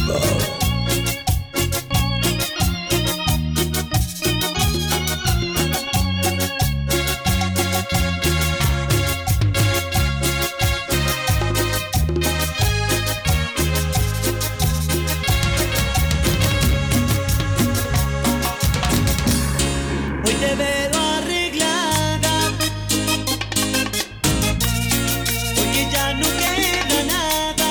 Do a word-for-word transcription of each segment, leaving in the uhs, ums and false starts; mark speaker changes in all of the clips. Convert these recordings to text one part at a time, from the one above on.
Speaker 1: Viva.
Speaker 2: Hoy te veo arreglada, porque ya no queda nada.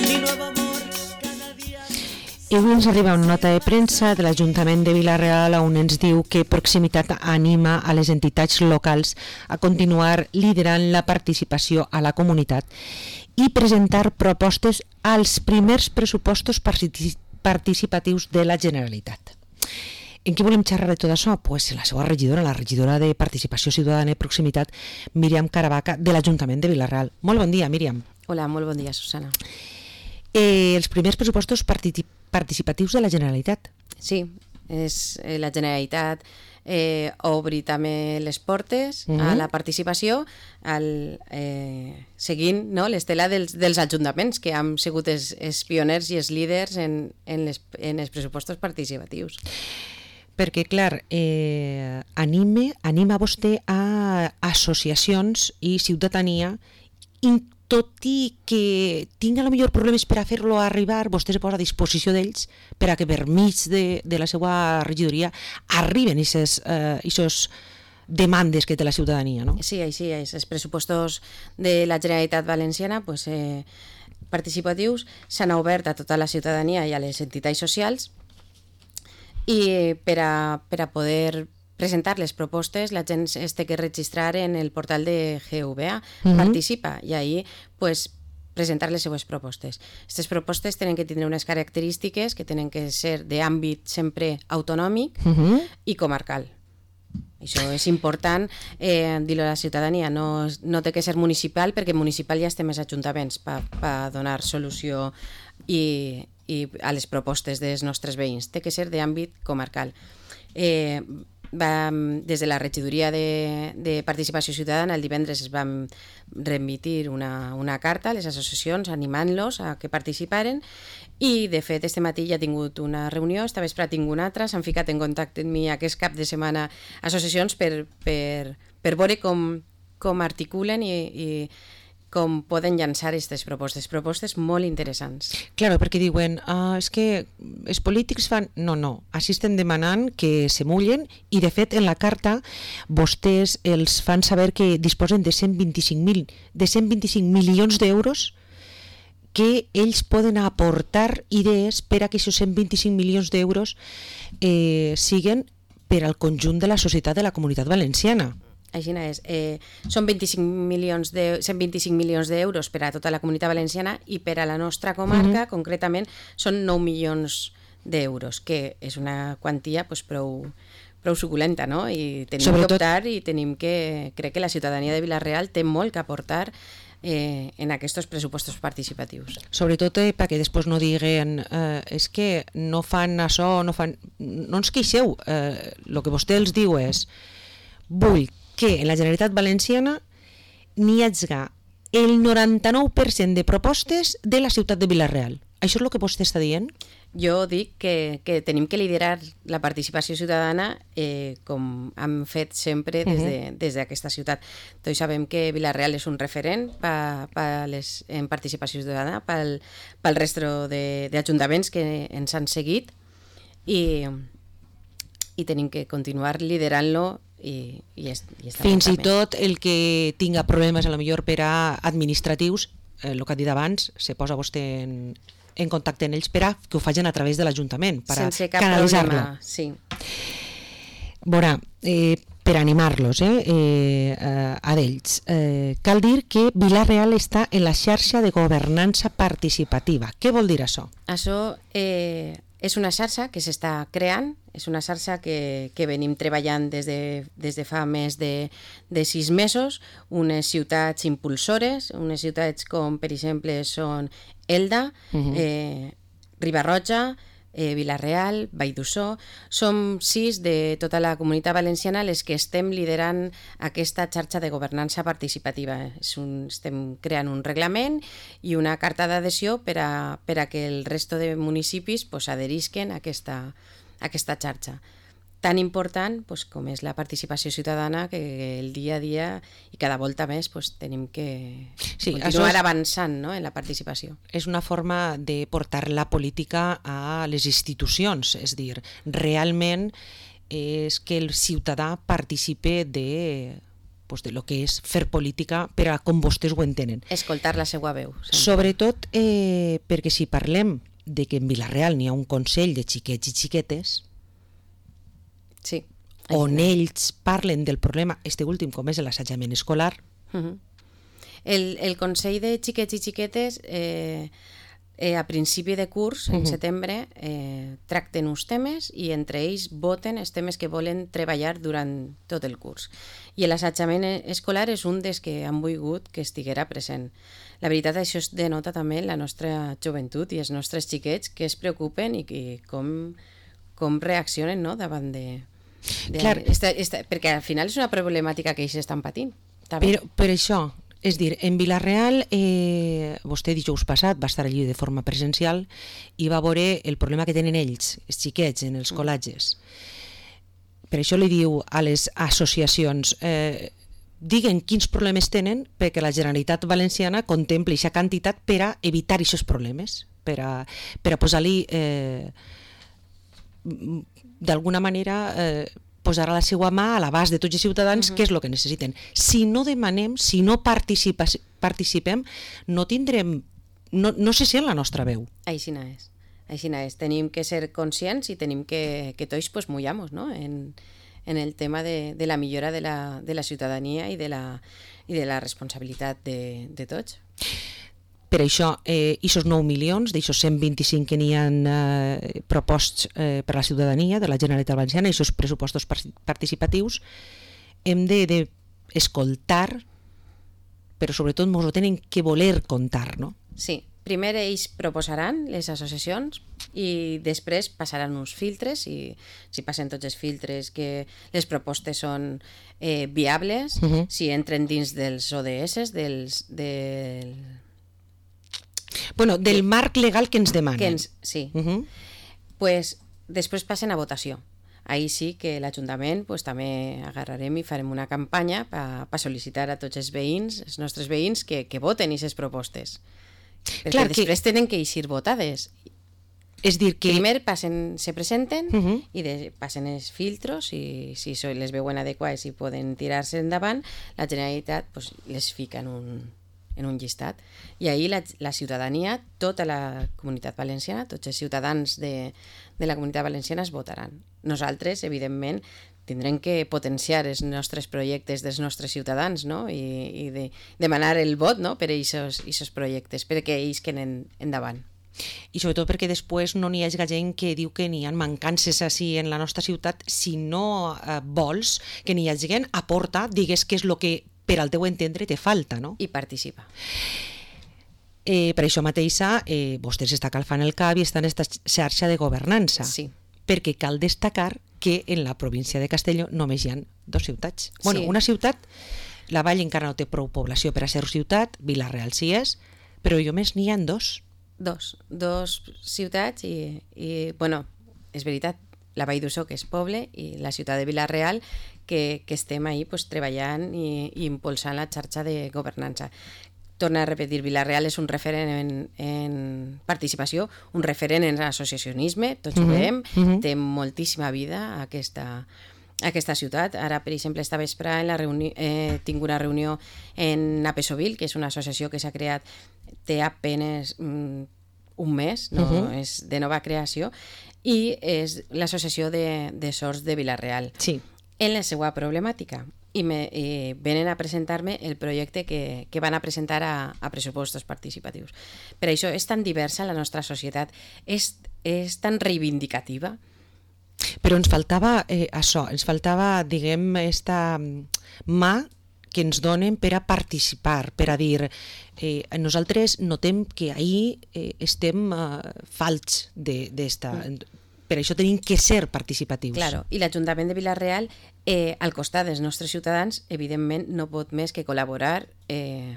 Speaker 2: Mi nuevo amor cada día.
Speaker 3: I avui ens arriba una nota de premsa de l'Ajuntament de Vila-real on ens diu que Proximitat anima a les entitats locals a continuar liderant la participació a la comunitat i presentar propostes als primers pressupostos partici- participatius de la Generalitat. En què volem xerrar de tot això? Pues la seva regidora, la regidora de Participació Ciutadana i Proximitat, Míriam Caravaca, de l'Ajuntament de Vila-real. Molt bon dia, Míriam.
Speaker 4: Hola, molt bon dia, Susana.
Speaker 3: Eh, els primers pressupostos parti- participatius de la Generalitat.
Speaker 4: Sí, és eh, la Generalitat eh, obri també les portes
Speaker 3: Mhm.
Speaker 4: a la participació al, eh, seguint no, l'estela dels, dels ajuntaments que han sigut els, els pioners i els líders en, en, les, en els pressupostos participatius.
Speaker 3: Perquè, clar, eh, anime, anima vostè a associacions i ciutadania i tot i que tinga a lo millor problemes per a fer-lo arribar, vostè se posa a disposició d'ells per a que per mig de, de la seva regidoria arriben aquestes eh, demandes que té la ciutadania, no?
Speaker 4: Sí, així és. Els pressupostos de la Generalitat Valenciana pues, eh, participatius s'han obert a tota la ciutadania i a les entitats socials i per a, per a poder presentar les propostes la gent es té que registrar en el portal de G V A,
Speaker 3: Mhm.
Speaker 4: participa i ahí pues, presentar les seues propostes. Aquestes propostes tenen que tindre unes característiques que tenen que ser d'àmbit sempre autonòmic
Speaker 3: Uh-huh.
Speaker 4: i comarcal. Això és important eh, dir-ho a la ciutadania, no, no té que ser municipal perquè municipal ja estem els ajuntaments per pa donar solució i, i a les propostes dels nostres veïns, té que ser d'àmbit comarcal. Eh, vam, des de la regidoria de, de Participació Ciutadana el divendres es vam remitir una, una carta a les associacions animant-los a que participaren i de fet este matí ja he tingut una reunió, esta vespre tinc una altra, s'han ficat en contacte amb mi aquest cap de setmana associacions per, per, per veure com, com articulen i, i com poden llançar aquestes propostes, propostes molt interessants.
Speaker 3: Claro, perquè diuen, ah, és que els polítics fan... No, no, així estem demanant que se mullen i, de fet, en la carta vostès els fan saber que disposen de cent vint-i-cinc mil de cent vint-i-cinc milions d'euros que ells poden aportar idees per a que aquests cent vint-i-cinc milions d'euros eh, siguen per al conjunt de la societat de la Comunitat Valenciana.
Speaker 4: Així és. Eh, són vint-i-cinc milions de, cent vint-i-cinc milions d'euros per a tota la Comunitat Valenciana i per a la nostra comarca, uh-huh. concretament, són nou milions d'euros, que és una quantia pues, prou, prou suculenta, no? I tenim
Speaker 3: Sobretot...
Speaker 4: que optar i tenim que... Crec que la ciutadania de Vila-real té molt que aportar eh, en aquests pressupostos participatius.
Speaker 3: Sobretot eh, perquè després no diguen eh, és que no fan això, no fan... No ens queixeu, eh, el que vostè els diu és vull que en la Generalitat Valenciana n'hi hagi el noranta-nou per cent de propostes de la ciutat de Vila-real. Això és el que vostè està dient?
Speaker 4: Jo dic que, que tenim que liderar la participació ciutadana eh, com hem fet sempre des de, uh-huh. des d'aquesta ciutat. Tots sabem que Vila-real és un referent pa, pa les, en participació ciutadana pel, pel resto d'ajuntaments que ens han seguit i, i tenim que continuar liderant-lo i, i, est, i
Speaker 3: fins i tot el que tinga problemes a lo millor per a administratius, eh, el que ha dit abans, se posa vostè en, en contacte amb ells per a que ho facin a través de l'Ajuntament, per a canalitzar-lo.
Speaker 4: Sí.
Speaker 3: Veurà, eh, per animar-los eh, eh, a d'ells, eh, cal dir que Vila-real està en la xarxa de governança participativa. Què vol dir això?
Speaker 4: Això eh, és una xarxa que s'està creant, és una xarxa que, que venim treballant des de, des de fa més de, de sis mesos, unes ciutats impulsores, unes ciutats com per exemple són Elda, uh-huh. eh, Riba-roja, eh, Vila-real, Vall d'Uixó. Som sis de tota la Comunitat Valenciana les que estem liderant aquesta xarxa de governança participativa. És un, estem creant un reglament i una carta d'adhesió per a, per a que el resto de municipis pues, adherisquen a aquesta, a aquesta xarxa tan important pues, com és la participació ciutadana, que el dia a dia i cada volta més pues, tenim que
Speaker 3: sí,
Speaker 4: continuar
Speaker 3: és,
Speaker 4: avançant, no?, en la participació.
Speaker 3: És una forma de portar la política a les institucions, és dir, realment és que el ciutadà participe de, pues, de lo que és fer política per a com vostès ho entenen.
Speaker 4: Escoltar la seva veu. Sempre.
Speaker 3: Sobretot eh, perquè si parlem de que en Vila-real n'hi ha un consell de xiquets i xiquetes,
Speaker 4: sí,
Speaker 3: on ells parlen del problema, este últim com és l'assetjament escolar.
Speaker 4: Uh-huh. el, el Consell de Xiquets i Xiquetes eh, eh, a principi de curs, en uh-huh. setembre, eh, tracten uns temes i entre ells voten els temes que volen treballar durant tot el curs. I l'assetjament escolar és un dels que han volgut que estiguera present. La veritat, això es denota també en la nostra joventut i els nostres xiquets que es preocupen i que com, com reaccionen, no?, davant de... De,
Speaker 3: Clar.
Speaker 4: esta, esta, perquè al final és una problemàtica que ells estan patint.
Speaker 3: Però per això, és dir, en Vila-real, eh, vostè dijous passat va estar allí de forma presencial i va veure el problema que tenen ells, els xiquets, en els col·legis. Per això li diu a les associacions, eh, diguen quins problemes tenen perquè la Generalitat Valenciana contempli aquesta quantitat per a evitar aquests problemes, per a, per a posar-li... Eh, d'alguna manera eh, posar a la seva mà a l'abast de tots els ciutadans uh-huh. què és el que necessiten. Si no demanem, si no participa, participem, no tindrem, no, no se sent la nostra veu.
Speaker 4: Així no és. Així no és. Tenim que ser conscients i tenim que, que tots pues, mullamos, no?, en, en el tema de, de la millora de la, de la ciutadania i de la, i de la responsabilitat de, de tots.
Speaker 3: Per això, eh, aquests nou milions, d'aixòs cent vint-i-cinc que n'hi ha eh, proposats eh, per a la ciutadania de la Generalitat Valenciana, aquests pressupostos participatius, hem d'escoltar, de, de però sobretot ens ho tenen que voler contar, no?
Speaker 4: Sí, primer ells proposaran les associacions i després passaran uns filtres i si passen tots els filtres que les propostes són eh, viables, uh-huh. si entren dins dels O D S, dels... del...
Speaker 3: Bueno, del marc legal que ens demanen.
Speaker 4: Que ens, sí. Uh-huh. Pues, després passen a votació. Ahí sí que l'Ajuntament pues, també agarrarem i farem una campanya per pa sol·licitar a tots els veïns, els nostres veïns, que, que voten aquestes propostes. Perquè Clar després que... tenen que eixir votades.
Speaker 3: És dir que...
Speaker 4: Primer passen, se presenten uh-huh. i de, passen els filtros i si les veuen adequades i poden tirar-se endavant, la Generalitat pues, les fica en un... en un llistat, i ahir la, la ciutadania, tota la Comunitat Valenciana, tots els ciutadans de, de la Comunitat Valenciana es votaran. Nosaltres, evidentment, tindrem que potenciar els nostres projectes dels nostres ciutadans, no?, i, i de, demanar el vot, no?, per a aquests projectes, perquè ells queden endavant.
Speaker 3: I sobretot perquè després no n'hi hagi gent que diu que n'hi ha mancances així en la nostra ciutat. Si no eh, vols que n'hi hagi gent, aporta, digues què és el que per al teu entendre te falta, no?
Speaker 4: I participa.
Speaker 3: Eh, per això mateixa, eh, vostès està calfant el cap i està en aquesta xarxa de governança.
Speaker 4: Sí.
Speaker 3: Perquè cal destacar que en la província de Castelló només hi ha dos ciutats. Bueno,
Speaker 4: sí.
Speaker 3: Una ciutat, la Vall encara no té prou població per a ser ciutat, Vila-real sí és, però jo més n'hi ha dos.
Speaker 4: Dos. Dos ciutats i, i bueno, és veritat, la Vall d'Uixó, que és poble, i la ciutat de Vila-real, que, que estem ahí pues, treballant i, i impulsant la xarxa de governança. Torna a repetir, Vila-real és un referent en, en participació, un referent en associacionisme, tots ho veiem, uh-huh. té moltíssima vida aquesta, aquesta ciutat. Ara, per exemple, esta vespre en la reuni- eh, tinc una reunió en Apesovil, que és una associació que s'ha creat, té apenes mm, un mes, no? Uh-huh. És de nova creació, i és l'associació de, de sords de Vila-real.
Speaker 3: Sí.
Speaker 4: En la seva problemàtica i, me, i venen a presentar-me el projecte que, que van a presentar a, a pressupostos participatius. Per això és tan diversa la nostra societat, és, és tan reivindicativa.
Speaker 3: Però ens faltava eh, això, ens faltava, diguem, esta mà que ens donen per a participar, per a dir eh, nosaltres notem que ahir eh, estem eh, falts d'esta... Mm. Per això tenim que ser participatius.
Speaker 4: Claro, i l'Ajuntament de Vila-real, eh, al costat dels nostres ciutadans, evidentment no pot més que col·laborar eh,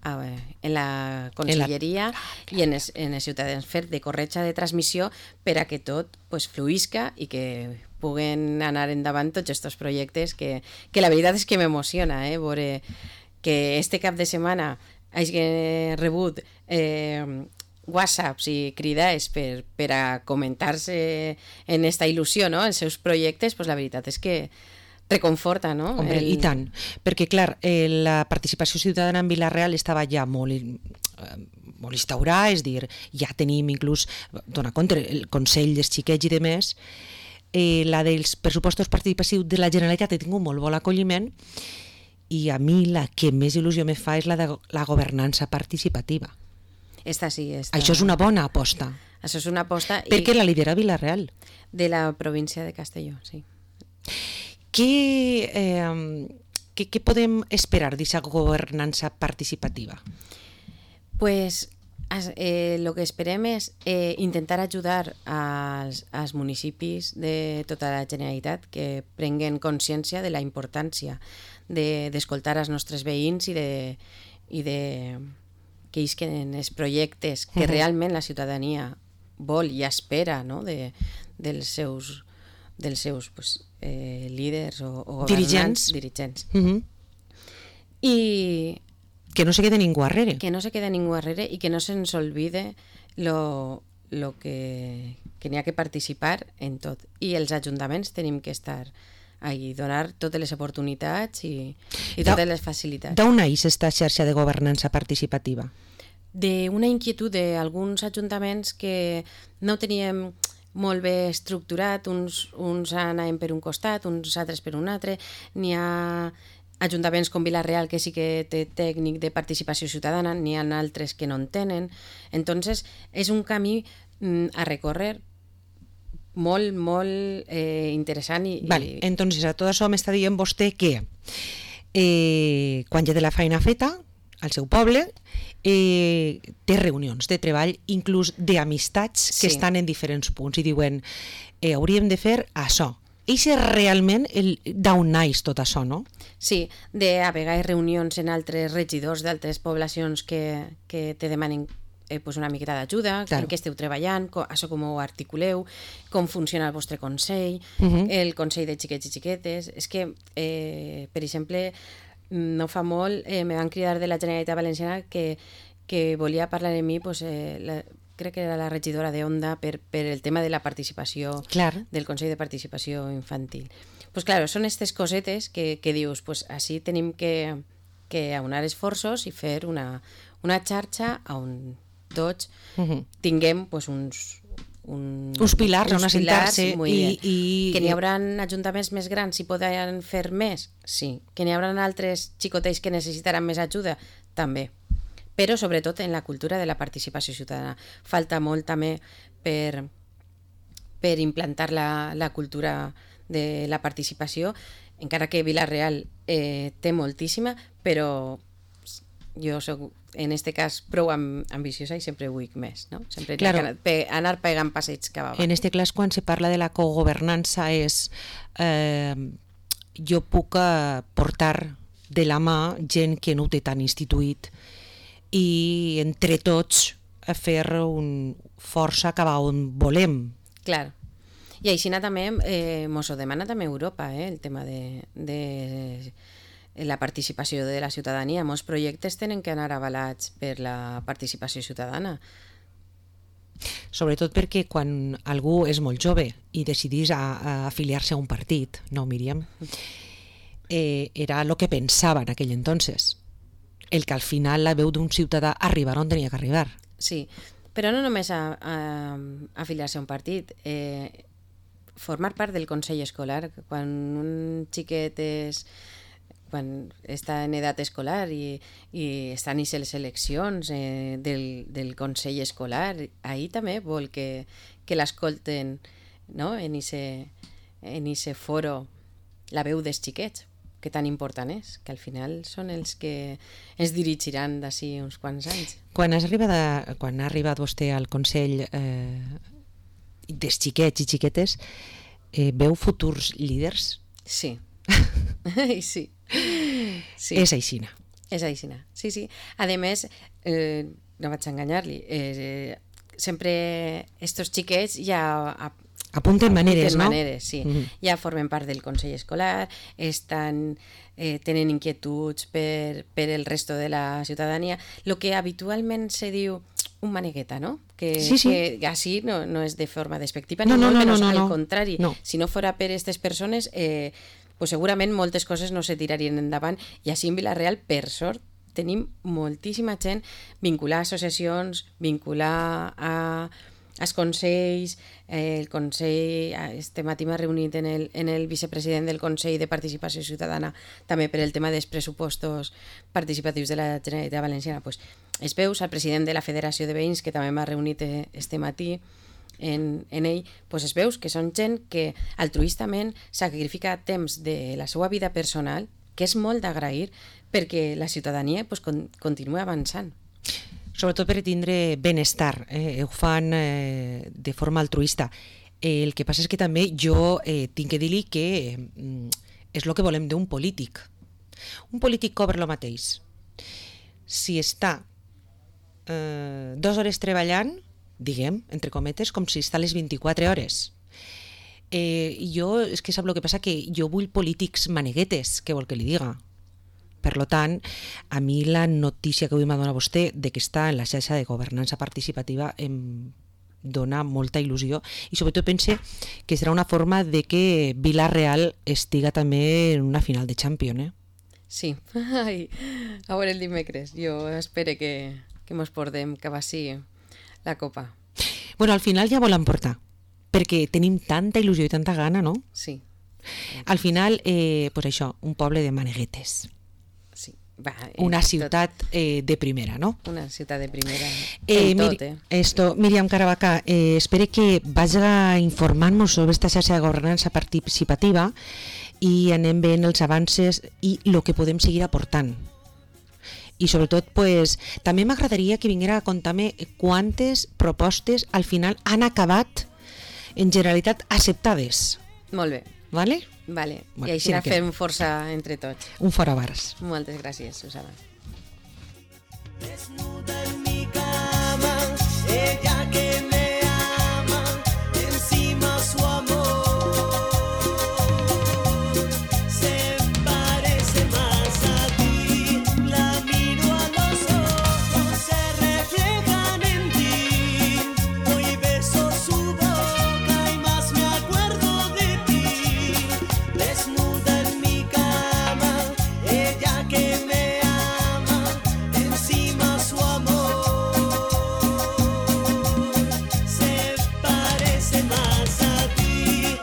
Speaker 4: a, en la conselleria en la... i en els, en els ciutadans, fer de corretja de transmissió per a que tot pues, fluïsca i que puguen anar endavant tots aquests projectes que, que la veritat és que m'emociona, eh, veure que este cap de setmana hagi rebut eh, whatsapps i cridades per, per a comentar-se en esta il·lusió, no?, els seus projectes, pues la veritat és que reconforta, no?
Speaker 3: Hombre, el... i tant, perquè clar, eh, la participació ciutadana en Vila-real estava ja molt, eh, molt instaurada, és dir, ja tenim inclús, dona compte, el Consell dels Xiquets i de més, eh, la dels pressupostos participatius de la Generalitat ha tingut molt bon acolliment, i a mi la que més il·lusió me fa és la de la governança participativa.
Speaker 4: Esta sí, esta...
Speaker 3: Això és una bona aposta.
Speaker 4: Això és una aposta...
Speaker 3: Perquè
Speaker 4: i...
Speaker 3: la lidera Vila-real.
Speaker 4: De la província de Castelló, sí.
Speaker 3: Què, eh, què, què podem esperar d'aquesta governança participativa?
Speaker 4: Pues eh, lo que esperem és eh, intentar ajudar als, als municipis de tota la Generalitat que prenguen consciència de la importància d'escoltar de, els nostres veïns i de... I de que isquen els projectes que uh-huh. realment la ciutadania vol i espera, no?, de, dels seus, dels seus pues, eh, líders o, o governants, dirigents. dirigents. Uh-huh. I
Speaker 3: que no se quede ningú darrere.
Speaker 4: Que no se quede ningú darrere i que no se'ns olvide lo, lo que, que n'hi ha que participar en tot. I els ajuntaments tenim que estar ahí, donar totes les oportunitats i, i totes da, les facilitats.
Speaker 3: D'on neix aquesta xarxa de governança participativa?
Speaker 4: D'una inquietud d'alguns ajuntaments que no teníem molt bé estructurat, uns, uns anaven per un costat, uns altres per un altre, n'hi ha ajuntaments com Vila-real que sí que té tècnic de participació ciutadana, n'hi ha altres que no en tenen, entonces és un camí mm, a recórrer molt, molt eh, interessant. I,
Speaker 3: vale,
Speaker 4: i...
Speaker 3: entonces a tot això m'està dient vostè que eh, quan ja té la feina feta al seu poble eh, té reunions de treball, inclús d'amistats que sí. estan en diferents punts i diuen eh, hauríem de fer això. I és realment d'on naix tot això, no?
Speaker 4: Sí, de a vegades reunions en altres regidors d'altres poblacions que, que te demanen eh, pues una miqueta d'ajuda, claro. En què esteu treballant, com, això com ho articuleu, com funciona el vostre consell, uh-huh. el consell de xiquets i xiquetes. És que, eh, per exemple, no fa molt eh, me van cridar de la Generalitat Valenciana que, que volia parlar de mi, pues, eh, la, crec que era la regidora de Onda, per, per el tema de la participació,
Speaker 3: claro.
Speaker 4: del Consell de Participació Infantil. Pues claro, són aquestes cosetes que, que dius, pues així tenim que, que aunar esforços i fer una, una xarxa on tots uh-huh. tinguem pues, uns, un,
Speaker 3: uns pilars on assentar-se
Speaker 4: i, i que n'hi haurà ajuntaments més grans i podran fer més, sí, que n'hi haurà altres xicotets que necessitaran més ajuda, també, però sobretot en la cultura de la participació ciutadana. Falta molt també per, per implantar la, la cultura de la participació, encara que Vila-real eh, té moltíssima, però jo soc, en este cas, prou ambiciosa i sempre vull més, no? Sempre claro. anar, pe, anar pegant passeigs cap avall.
Speaker 3: En este cas, quan se parla de la cogovernança és eh, jo puc portar de la mà gent que no ho té tan instituït i entre tots a fer un força cap a on volem.
Speaker 4: Clar. I així també eh, mos ho demana també Europa, eh, el tema de... de la participació de la ciutadania. Molts projectes tenen que anar avalats per la participació ciutadana.
Speaker 3: Sobretot perquè quan algú és molt jove i decidís a, a afiliar-se a un partit, no, Míriam? Eh, era el que pensava en aquell entonces. El que al final la veu d'un ciutadà arribar on tenia que arribar.
Speaker 4: Sí, però no només a, a, a afiliar-se a un partit. Eh, formar part del Consell Escolar. Quan un xiquet és... quan està en edat escolar i, i estan a les eleccions eh, del, del Consell Escolar, ahir també vol que, que l'escolten, no? en ese, en ese foro la veu dels xiquets, que tan important és, que al final són els que ens dirigiran d'ací uns quants anys.
Speaker 3: Quan, has arribat a, quan ha arribat vostè al Consell eh, dels xiquets i xiquetes, eh, veu futurs líders?
Speaker 4: Sí. sí. sí.
Speaker 3: És aixina.
Speaker 4: És aixina, sí, sí. A més, eh, no vaig enganyar-li, eh, sempre estos xiquets ja
Speaker 3: apunten maneres,
Speaker 4: apunten
Speaker 3: no?
Speaker 4: maneres, sí. Mm-hmm. Ja formen part del Consell Escolar, estan, eh, tenen inquietuds per, per el resto de la ciutadania. Lo que habitualment se diu un manegueta, ¿no? Que,
Speaker 3: sí, sí.
Speaker 4: que así no, no és de forma despectiva,
Speaker 3: no,
Speaker 4: ni
Speaker 3: no,
Speaker 4: molt
Speaker 3: no,
Speaker 4: menys,
Speaker 3: no, no,
Speaker 4: al
Speaker 3: no.
Speaker 4: contrari.
Speaker 3: No.
Speaker 4: Si no fora per aquestes persones, eh, pues segurament moltes coses no se tirarien endavant, i així en Vila-real, per sort, tenim moltíssima gent vinculada a associacions, vinculada a, als consells, eh, el Consell, este matí m'ha reunit en el, en el vicepresident del Consell de Participació Ciutadana, també per el tema dels pressupostos participatius de la Generalitat Valenciana, pues, es veus al president de la Federació de Veïns, que també m'ha reunit este matí, En, en ell, pues es veus que són gent que altruistament sacrifica temps de la seva vida personal, que és molt d'agrair, perquè la ciutadania pues, con, continua avançant.
Speaker 3: Sobretot per tindre benestar, eh? Ho fan eh, de forma altruista. Eh, el que passa és que també jo eh, tinc que dir-li que eh, és el que volem d'un polític. Un polític cobra el mateix. Si està eh, dues hores treballant, diguem, entre cometes, com si està a les vint-i-quatre hores. Eh, jo, és que sap el que passa, que jo vull polítics maneguetes, què vol que li diga? Per lo tant, a mi la notícia que avui m'ha donat vostè de que està en la xarxa de governança participativa em dona molta il·lusió, i sobretot pense que serà una forma de que Vila-real estiga també en una final de Champions, eh?
Speaker 4: Sí, ai, a veure el dimecres, jo espero que, que mos portem cap així la copa.
Speaker 3: Bueno, al final ja volen portar, perquè tenim tanta il·lusió i tanta gana, no?
Speaker 4: Sí.
Speaker 3: Al final, eh, pues això, un poble de maneguetes.
Speaker 4: Sí. Va, eh,
Speaker 3: una ciutat eh, de primera, no?
Speaker 4: Una ciutat de primera
Speaker 3: eh,
Speaker 4: en tot,
Speaker 3: Mir
Speaker 4: eh?
Speaker 3: Esto, Míriam Caravaca, eh, espero que vaja informant-nos sobre esta xarxa de governança participativa i anem veient els avances i el que podem seguir aportant. I sobretot, pues, també m'agradaria que vinguera a contar-me quantes propostes al final han acabat en generalitat acceptades.
Speaker 4: Molt bé.
Speaker 3: Vale?
Speaker 4: Vale.
Speaker 3: Bueno,
Speaker 4: I així
Speaker 3: sí
Speaker 4: sí
Speaker 3: que...
Speaker 4: fem força entre tots.
Speaker 3: Un fora bars.
Speaker 4: Moltes gràcies, Susana.
Speaker 2: Desnuda en mi cama, ella que me ama, encima su amor se parece más a ti, la miro a los ojos, se reflejan en ti, hoy beso su boca y más me acuerdo de ti. Desnuda en mi cama, ella que me ama, encima su amor se parece más a ti.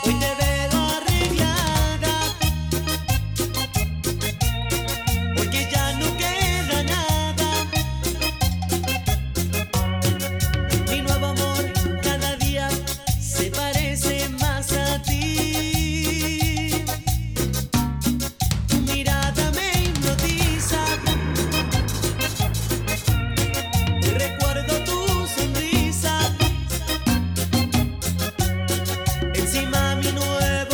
Speaker 2: Hoy te veo arreglada, porque ya no queda nada. Mi nuevo amor cada día se parece más a ti. Tu mirada me hipnotiza, recuerdo tu sonrisa. Encima mi nuevo